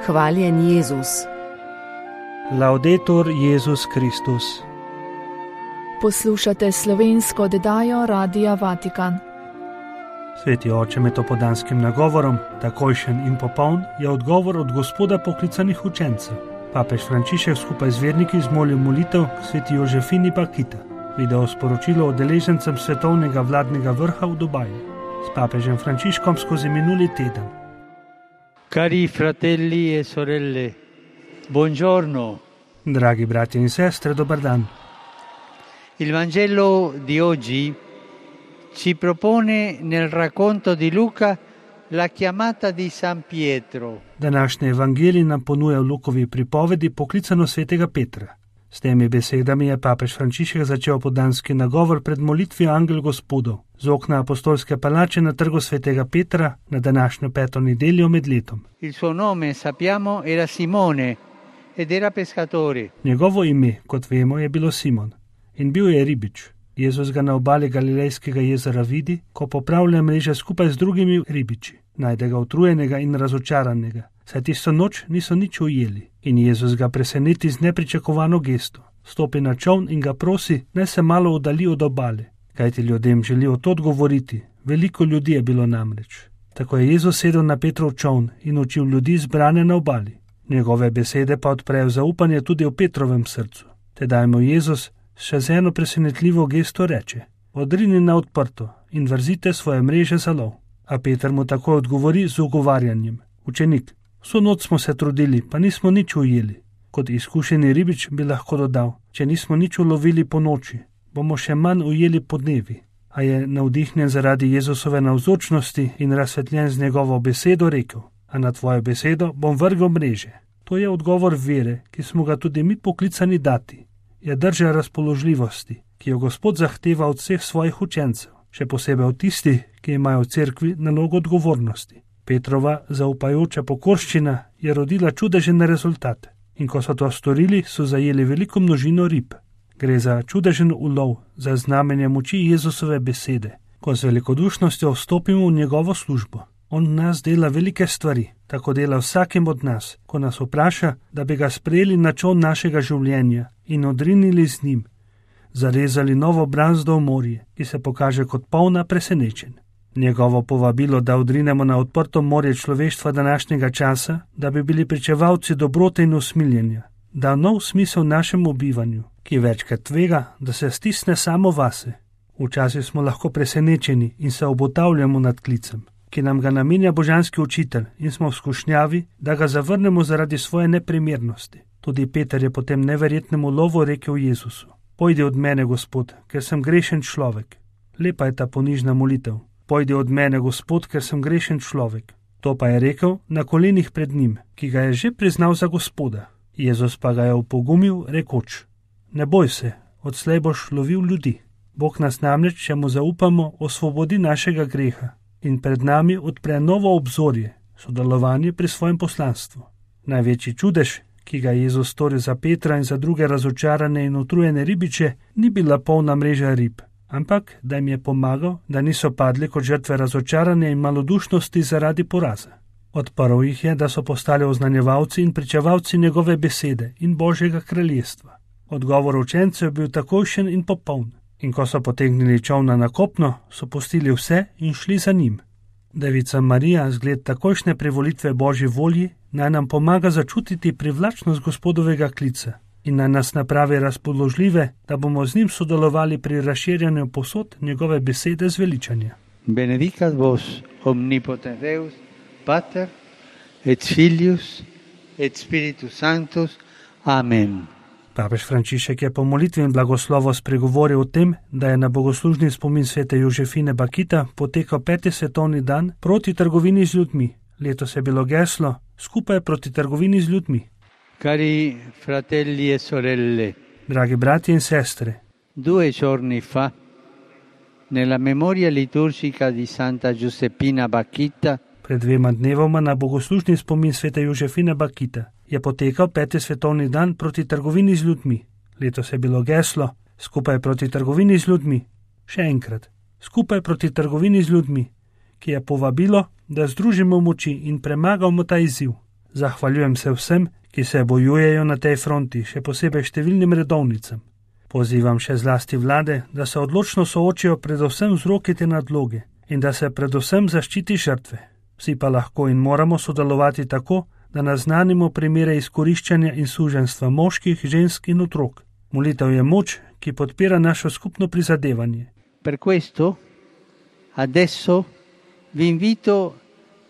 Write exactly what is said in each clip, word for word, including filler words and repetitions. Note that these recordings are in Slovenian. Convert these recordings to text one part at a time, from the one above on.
Hvaljen Jezus. Laudetur Jezus Kristus. Poslušate slovensko oddajo Radia Vatikan. Sveti oče med opoldanskim nagovorom, takojšen in popoln, je odgovor od Gospoda poklicanih učencev. Papež Frančišek skupaj z verniki zmolil molitev k sveti Jožefini Bakita. Video sporočilo udeležencem svetovnega vladnega vrha v Dubaju. S papežem Frančiškom skozi minuli teden. Cari fratelli e sorelle, buongiorno. Dragi bratje in sestre, dober dan. Il Vangelo di oggi ci propone nel racconto di Luca la chiamata di San Pietro. Današnji evangelij nam ponuja v Lukovi pripovedi poklicano svetega Petra. S temi besedami je papež Frančišek začel opoldanski nagovor pred molitvijo Angel Gospodov z okna apostolske palače na trgu svetega Petra na današnjo peto nedeljo med letom. Il suo nome, sappiamo, era Simone ed era pescatore. Njegovo ime, kot vemo, je bilo Simon in bil je ribič. Jezus ga na obali Galilejskega jezera vidi, ko popravlja mreže skupaj z drugimi ribiči. Najde ga utrujenega in razočaranega, saj tisto noč niso nič ujeli. In Jezus ga preseneti z nepričakovano gesto. Stopi na čoln in ga prosi, naj se malo oddalji od obale. Kajti ljudem želijo to odgovoriti, veliko ljudi je bilo namreč. Tako je Jezus sedel na Petrov čoln in učil ljudi zbrane na obali. Njegove besede pa odprejo zaupanje tudi v Petrovem srcu. Tedaj mu Jezus še z eno presenetljivo gesto reče: odrini na odprto in vrzite svoje mreže za lov. A Peter mu tako odgovori z ugovarjanjem: učenik, vso noč smo se trudili, pa nismo nič ujeli. Kot izkušeni ribič bi lahko dodal: če nismo nič ulovili po noči, bomo še manj ujeli po dnevi. A je navdihnjen zaradi Jezusove navzočnosti in razsvetljen z njegovo besedo rekel: a na tvojo besedo bom vrgel mreže. To je odgovor vere, ki smo ga tudi mi poklicani dati. Je drža razpoložljivosti, ki jo Gospod zahteva od vseh svojih učencev, še posebej od tistih, ki imajo v cerkvi nalogo odgovornosti. Petrova zaupajoča pokorščina je rodila čudežen rezultat in ko so to storili, so zajeli veliko množino rib. Gre za čudežen ulov, za znamenje moči Jezusove besede, ko z velikodušnostjo vstopimo v njegovo službo. On nas dela velike stvari, tako dela vsakim od nas, ko nas vpraša, da bi ga sprejeli na čoln našega življenja in odrinili z njim, zarezali novo brazdo v morje, ki se pokaže kot polna presenečenj. Njegovo povabilo, da odrinemo na odprto morje človeštva današnjega časa, da bi bili pričevalci dobrote in usmiljenja, da nov smisel našemu bivanju, ki večkrat tvega, da se stisne samo vase. Včasih smo lahko presenečeni in se obotavljamo nad klicem, ki nam ga namenja božanski učitelj, in smo v skušnjavi, da ga zavrnemo zaradi svoje neprimernosti. Tudi Peter je po tem neverjetnemu lovu rekel Jezusu: pojdi od mene, Gospod, ker sem grešen človek. Lepa je ta ponižna molitev. Pojdi od mene, Gospod, ker sem grešen človek. To pa je rekel na kolenih pred njim, ki ga je že priznal za Gospoda. Jezus pa ga je opogumil, rekoč: ne boj se, odslej boš lovil ljudi. Bog nas namreč, če mu zaupamo, osvobodi našega greha in pred nami odpre novo obzorje, sodelovanje pri svojem poslanstvu. Največji čudež, ki ga je Jezus storil za Petra in za druge razočarane in utrujene ribiče, ni bila polna mreža rib, ampak da jim je pomagal, da niso padli kot žrtve razočaranja in malodušnosti zaradi poraza. Odprl jih je, da so postali oznanjevalci in pričevalci njegove besede in Božjega kraljestva. Odgovor učencev je bil takojšen in popoln. In ko so potegnili čolna na kopno, so pustili vse in šli za njim. Devica Marija, zgled takojšnje privolitve Božji volji, naj nam pomaga začutiti privlačnost Gospodovega klica in naj nas napravi razpoložljive, da bomo z njim sodelovali pri razširjanju posod njegove besede zveličanja. Benedicat vos omnipotens Deus, Pater et Filius et Spiritus Sanctus. Amen. Papež Frančišek je po molitvi in blagoslovu spregovoril o tem, da je na bogoslužni spomin svete Jožefine Bakita potekal peti svetovni dan proti trgovini z ljudmi. Letos je bilo geslo skupaj proti trgovini z ljudmi. Cari fratelli e sorelle, dragi bratje in sestre, due giorni fa, nella memoria liturgica di Santa Giuseppina Bakita, pred dvema dnevoma na bogoslužni spomin svete Jožefine Bakita je potekal peti svetovni dan proti trgovini z ljudmi. Letos je bilo geslo skupaj proti trgovini z ljudmi. Še enkrat, skupaj proti trgovini z ljudmi, ki je povabilo, da združimo moči in premagamo ta izziv. Zahvaljujem se vsem, ki se bojujejo na tej fronti, še posebej številnim redovnicam. Pozivam še zlasti vlade, da se odločno soočijo predvsem vzroki te nadloge in da se predvsem zaščiti žrtve. Vsi pa lahko in moramo sodelovati tako, da naznanimo primere izkoriščanja in suženjstva moških, žensk in otrok. Molitev je moč, ki podpira našo skupno prizadevanje. Per questo, adesso vi invito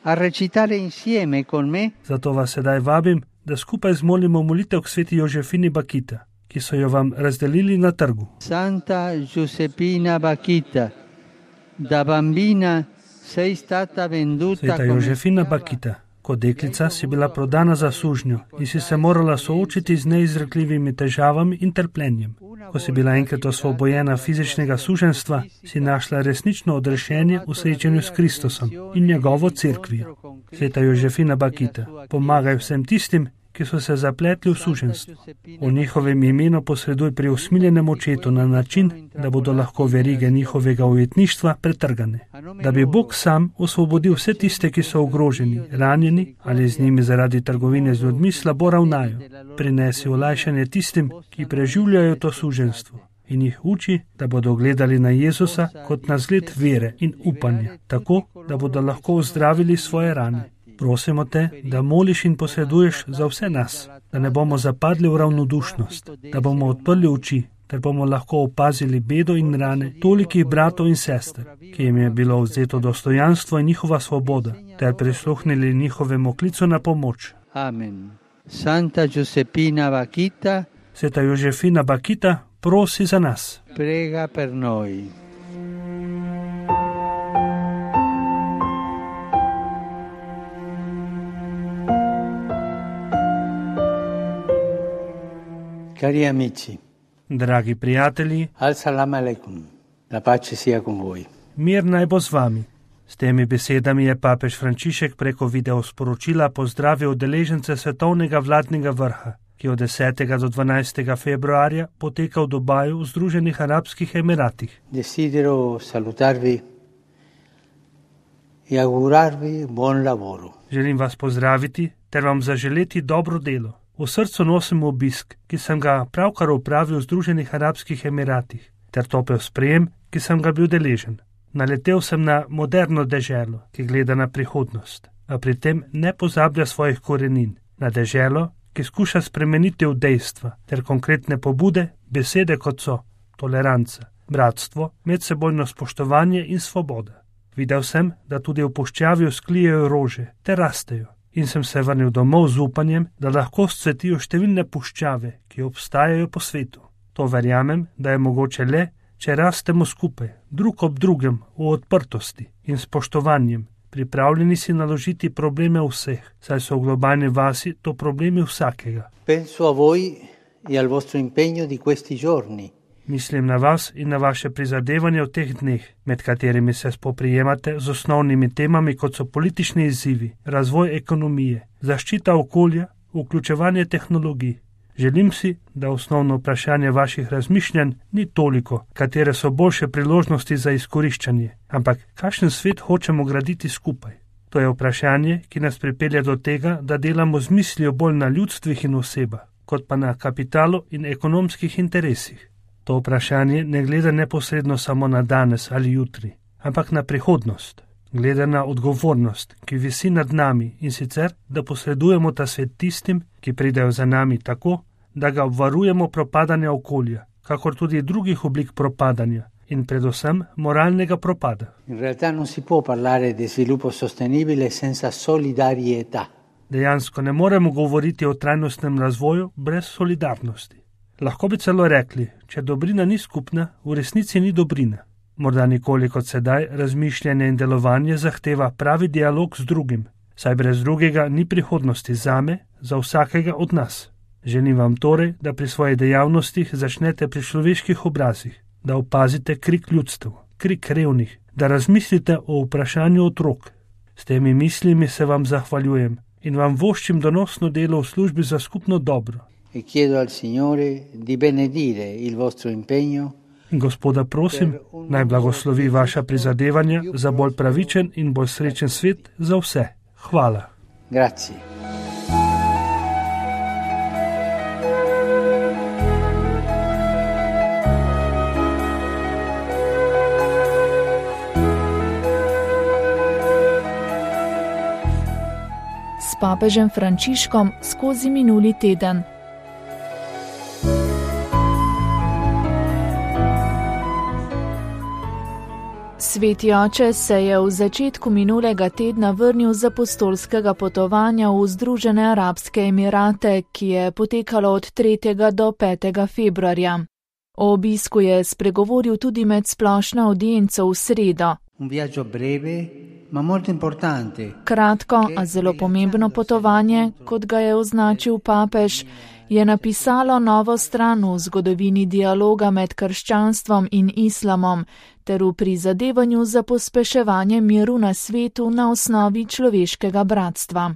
a recitare insieme con me. Zato vas sedaj vabim, da skupaj zmolimo molitev k sveti Jožefini Bakita, ki so jo vam razdelili na trgu. Santa Giuseppina Bakita, da bambina sei stata venduta Sveta Jožefina Bakita, kot deklica si bila prodana za sužnjo in si se morala soočiti z neizrekljivimi težavami in trpljenjem. Ko si bila enkrat osvobojena fizičnega suženjstva, si našla resnično odrešenje v srečanju s Kristusom in njegovo cerkvijo. Sveta Jožefina Bakita, pomagaj vsem tistim, ki so se zapletli v suženjstvo. V njihovem imenu posreduj pri usmiljenem očetu na način, da bodo lahko verige njihovega ujetništva pretrgane. Da bi Bog sam osvobodil vse tiste, ki so ogroženi, ranjeni ali z njimi zaradi trgovine z ljudmi slabo ravnajo. Prinesi olajšanje tistim, ki preživljajo to suženjstvo in jih uči, da bodo gledali na Jezusa kot na zgled vere in upanja, tako, da bodo lahko ozdravili svoje rane. Prosimo te, da moliš in posreduješ za vse nas, da ne bomo zapadli v ravnodušnost, da bomo odprli oči, ter bomo lahko opazili bedo in rane tolikih bratov in sester, ki jim je bilo vzeto dostojanstvo in njihova svoboda, ter prisluhnili njihovemu klicu na pomoč. Amen. Santa Giuseppina Bakita, Sveta Jožefina Bakita, prosi za nas. Prega per noi. Cari amici, Dragi prijatelji, Assalamu alaikum, la pace sia con voi. Mir naj bo z vami. S temi besedami je papež Frančišek preko videosporočila pozdravil udeležence svetovnega vladnega vrha, ki od desetega do dvanajstega februarja poteka v Dubaju v Združenih arabskih emiratih. Desidero salutarvi e augurarvi buon lavoro. Želim vas pozdraviti ter vam zaželeti dobro delo. V srcu nosim obisk, ki sem ga pravkar opravil v Združenih arabskih emiratih, ter topel sprejem, ki sem ga bil deležen. Naletel sem na moderno deželo, ki gleda na prihodnost, a pri tem ne pozablja svojih korenin, na deželo, ki skuša spremeniti v dejstva, ter konkretne pobude, besede kot so toleranca, bratstvo, medsebojno spoštovanje in svoboda. Videl sem, da tudi v puščavi vzklijejo rože, te rastejo. In sem se vrnil domov z upanjem, da lahko scvetijo številne puščave, ki obstajajo po svetu. To verjamem, da je mogoče le, če rastemo skupaj, drug ob drugem, v odprtosti in spoštovanjem, pripravljeni si naložiti probleme vseh, saj so v globalni vasi to problemi vsakega. Penso a voi e al vostro impegno di questi giorni. Mislim na vas in na vaše prizadevanje v teh dneh, med katerimi se spoprijemate z osnovnimi temami, kot so politični izzivi, razvoj ekonomije, zaščita okolja, vključevanje tehnologij. Želim si, da osnovno vprašanje vaših razmišljanj ni toliko, katere so boljše priložnosti za izkoriščanje, ampak kakšen svet hočemo graditi skupaj. To je vprašanje, ki nas pripelje do tega, da delamo z mislijo bolj na ljudstvih in osebah, kot pa na kapitalu in ekonomskih interesih. To vprašanje ne gleda neposredno samo na danes ali jutri, ampak na prihodnost. Gleda na odgovornost, ki visi nad nami, in sicer, da posredujemo ta svet tistim, ki pridejo za nami tako, da ga obvarujemo propadanja okolja, kakor tudi drugih oblik propadanja in predvsem moralnega propada. In realtà non si può parlare di sviluppo sostenibile senza solidarietà. Dejansko ne moremo govoriti o trajnostnem razvoju brez solidarnosti. Lahko bi celo rekli, če dobrina ni skupna, v resnici ni dobrina. Morda nikoli kot sedaj razmišljanje in delovanje zahteva pravi dialog z drugim, saj brez drugega ni prihodnosti zame, za vsakega od nas. Želim vam torej, da pri svojih dejavnostih začnete pri človeških obrazih, da opazite krik ljudstev, krik revnih, da razmislite o vprašanju otrok. S temi mislimi se vam zahvaljujem in vam voščim donosno delo v službi za skupno dobro. E chiedo al Signore di benedire il vostro impegno. Gospoda prosim, naj blagoslovi vaša prizadevanja za bolj pravičen in bolj srečen svet za vse. Hvala. Grazie. S papežem Frančiškom skozi minuli teden. Sveti oče se je v začetku minulega tedna vrnil z apostolskega potovanja v Združene arabske emirate, ki je potekalo od tretjega do petega februarja. O obisku je spregovoril tudi med splošno avdienco v sredo. Kratko, a zelo pomembno potovanje, kot ga je označil papež, je napisalo novo stran v zgodovini dialoga med krščanstvom in islamom ter v prizadevanju za pospeševanje miru na svetu na osnovi človeškega bratstva.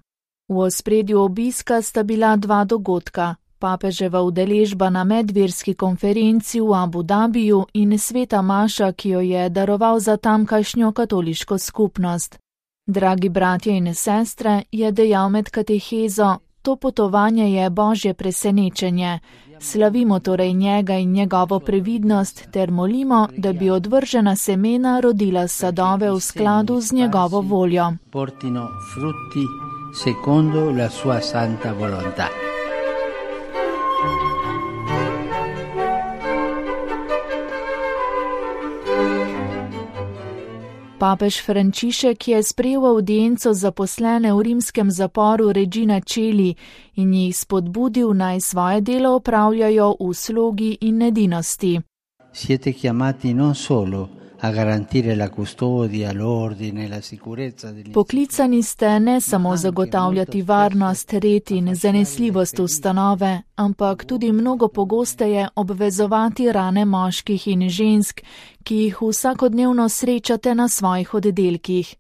V ospredju obiska sta bila dva dogodka. Papeževa udeležba na medverski konferenci v Abu Dabiju in sveta maša, ki jo je daroval za tamkajšnjo katoliško skupnost. Dragi bratje in sestre, je dejal med katehezo, to potovanje je božje presenečenje. Slavimo torej njega in njegovo previdnost ter molimo, da bi odvržena semena rodila sadove v skladu z njegovo voljo. Portino frutti secondo la sua santa volontà. Papež Frančišek je sprejel avdienco zaposlene v rimskem zaporu Regina Coeli in jih spodbudil, naj svoje delo opravljajo v slogi in edinosti. Siete chiamati non solo a garantire la custodia, l'ordine, la sicurezza degli... Poklicani ste ne samo zagotavljati varnost, red in zanesljivost ustanove, ampak tudi mnogo pogosteje obvezovati rane moških in žensk, ki jih vsakodnevno srečate na svojih oddelkih.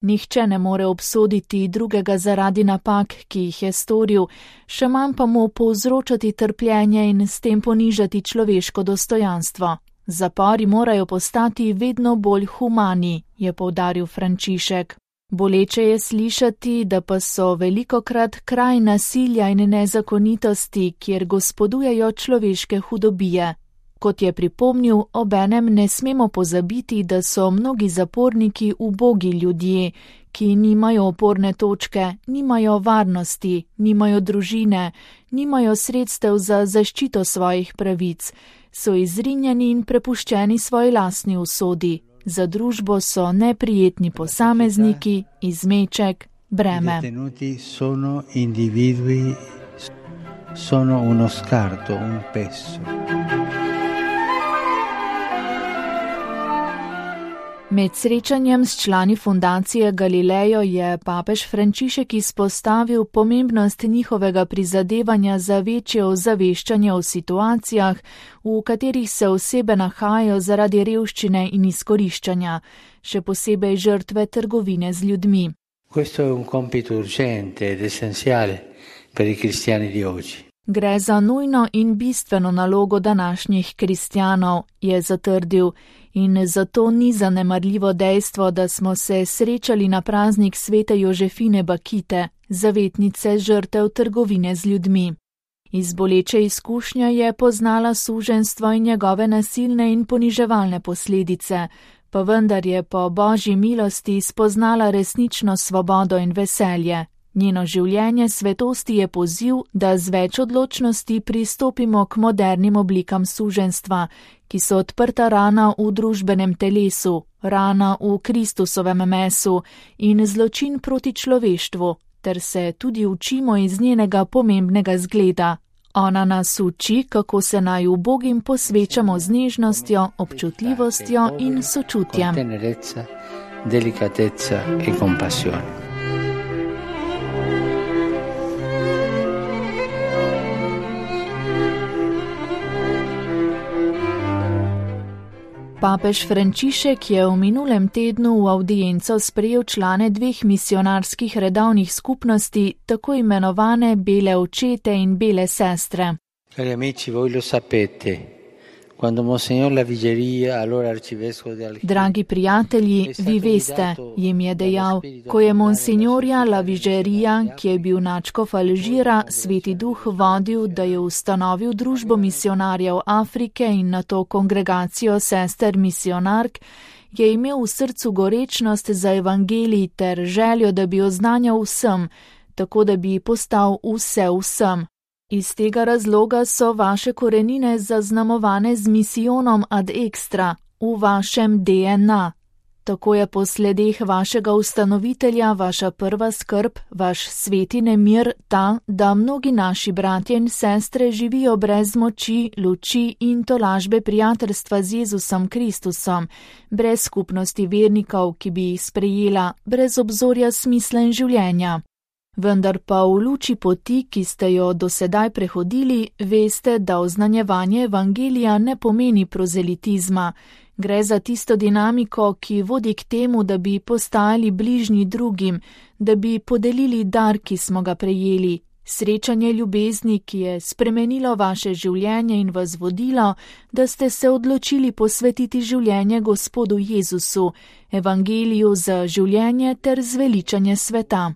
Nihče ne more obsoditi drugega zaradi napak, ki jih je storil, še manj pa mu povzročati trpljenje in s tem ponižati človeško dostojanstvo. Zapori morajo postati vedno bolj humani, je poudaril Frančišek. Boleče je slišati, da pa so velikokrat kraj nasilja in nezakonitosti, kjer gospodujejo človeške hudobije. Kot je pripomnil, obenem ne smemo pozabiti, da so mnogi zaporniki ubogi ljudje, ki nimajo oporne točke, nimajo varnosti, nimajo družine, nimajo sredstev za zaščito svojih pravic, so izrinjeni in prepuščeni svoji lastni usodi. Za družbo so neprijetni posamezniki, izmeček, breme. Detenuti sono individui, sono uno scarto, un peso. Med srečanjem s člani fundacije Galileo je papež Frančišek izpostavil pomembnost njihovega prizadevanja za večje ozaveščanje o situacijah, v katerih se osebe nahajajo zaradi revščine in izkoriščanja, še posebej žrtve trgovine z ljudmi. Questo è un compito urgente ed essenziale per i cristiani di oggi. Gre za nujno in bistveno nalogo današnjih kristjanov, je zatrdil, in zato ni zanemarljivo dejstvo, da smo se srečali na praznik svete Jožefine Bakite, zavetnice žrtev trgovine z ljudmi. Iz boleče izkušnje je poznala suženjstvo in njegove nasilne in poniževalne posledice, pa vendar je po božji milosti spoznala resnično svobodo in veselje. Njeno življenje svetosti je poziv, da z več odločnosti pristopimo k modernim oblikam suženjstva, ki so odprta rana v družbenem telesu, rana v Kristusovem mesu in zločin proti človeštvu, ter se tudi učimo iz njenega pomembnega zgleda. Ona nas uči, kako se naj ubogim posvečamo z nežnostjo, občutljivostjo in sočutjem. Tenerezza, delicatezza e compassione. Papež Frančišek je v minulem tednu v avdienco sprejel člane dveh misionarskih redovnih skupnosti, tako imenovane Bele očete in Bele sestre. Cari amici, voi lo sapete, Dragi prijatelji, vi veste, jim je dejal, ko je monsignorja Lavigerija, ki je bil nadškof Alžira, Sveti Duh vodil, da je ustanovil družbo misionarjev Afrike in nato kongregacijo sester misionark, je imel v srcu gorečnost za evangelij ter željo, da bi oznanjal vsem, tako da bi postal vse vsem. Iz tega razloga so vaše korenine zaznamovane z misijonom ad extra v vašem D N A. Tako je po sledeh vašega ustanovitelja vaša prva skrb, vaš sveti nemir ta, da mnogi naši bratje in sestre živijo brez moči, luči in tolažbe prijateljstva z Jezusom Kristusom, brez skupnosti vernikov, ki bi jih sprejela, brez obzorja smisla in življenja. Vendar pa v luči poti, ki ste jo dosedaj prehodili, veste, da oznanjevanje evangelija ne pomeni prozelitizma. Gre za tisto dinamiko, ki vodi k temu, da bi postajali bližnji drugim, da bi podelili dar, ki smo ga prejeli, srečanje ljubezni, ki je spremenilo vaše življenje in vas vodilo, da ste se odločili posvetiti življenje Gospodu Jezusu, evangeliju za življenje ter zveličanje sveta.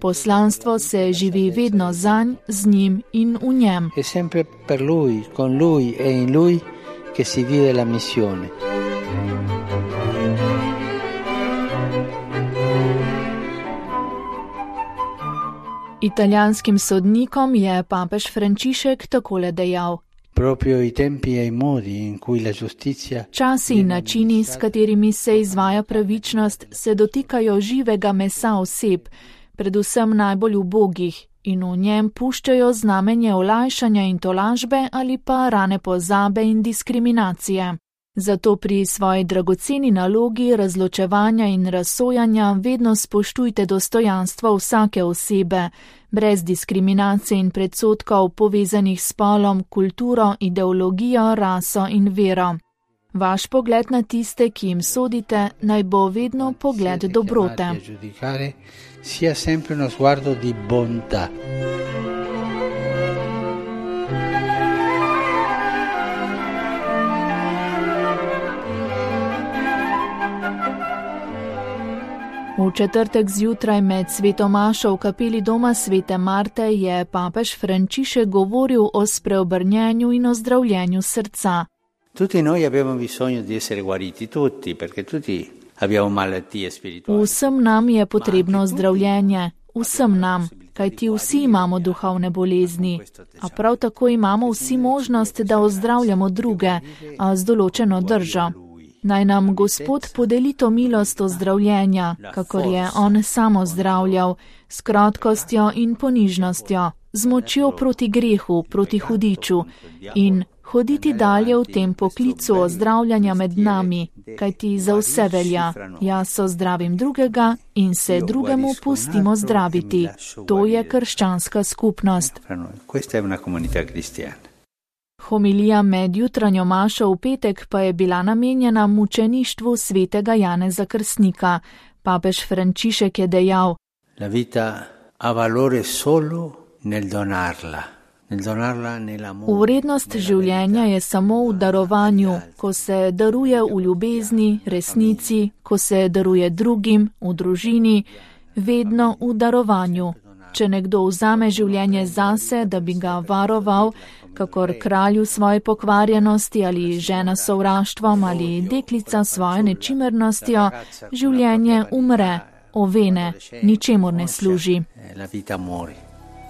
Poslanstvo se živi vedno zanj, z njim in v njem. È sempre per lui, con lui e in lui che si vive la missione. Italijanskim sodnikom je papež Frančišek takole dejal. Časi in načini, s katerimi se izvaja pravičnost, se dotikajo živega mesa oseb, predvsem najbolj ubogih, in v njem puščajo znamenje olajšanja in tolažbe ali pa rane pozabe in diskriminacije. Zato pri svoji dragoceni nalogi razločevanja in razsojanja vedno spoštujte dostojanstvo vsake osebe, brez diskriminacije in predsodkov povezanih s spolom, kulturo, ideologijo, raso in vero. Vaš pogled na tiste, ki jim sodite, naj bo vedno pogled dobrote. Sia sempre uno sguardo di bontà. V četrtek zjutraj med sveto mašo v kapeli doma svete Marte je papež Frančišek govoril o spreobrnjenju in ozdravljenju srca. Tutti noi abbiamo bisogno di essere guariti, tutti, perché tutti abbiamo malattie spirituali. Vsem nam je potrebno zdravljenje, vsem nam, kajti vsi imamo duhovne bolezni, a prav tako imamo vsi možnost, da ozdravljamo druge, a z določeno držo. Naj nam Gospod podeli to milost ozdravljenja, kakor je On sam ozdravljal, s krotkostjo in ponižnostjo, z močjo proti grehu, proti hudiču in hoditi dalje v tem poklicu ozdravljanja med nami, kajti za vse velja, jaz ozdravim drugega in se drugemu pustimo zdraviti. To je krščanska skupnost. Homilija med jutranjo mašo v petek pa je bila namenjena mučeništvu svetega Janeza Krstnika. Papež Frančišek je dejal: La vita ha valore solo nel donarla. Vrednost življenja je samo v darovanju, ko se daruje v ljubezni, resnici, ko se daruje drugim, v družini, vedno v darovanju. Če nekdo vzame življenje zase, da bi ga varoval, kakor kralju svoje pokvarjenosti ali žena sovraštvom ali deklica svojo nečimernostjo, življenje umre, ovene, ničemur ne služi.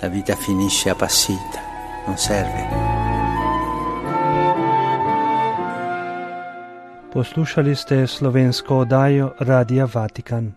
La vita finisce appassita, non serve. Poslušali ste slovensko oddajo Radia Vatikan.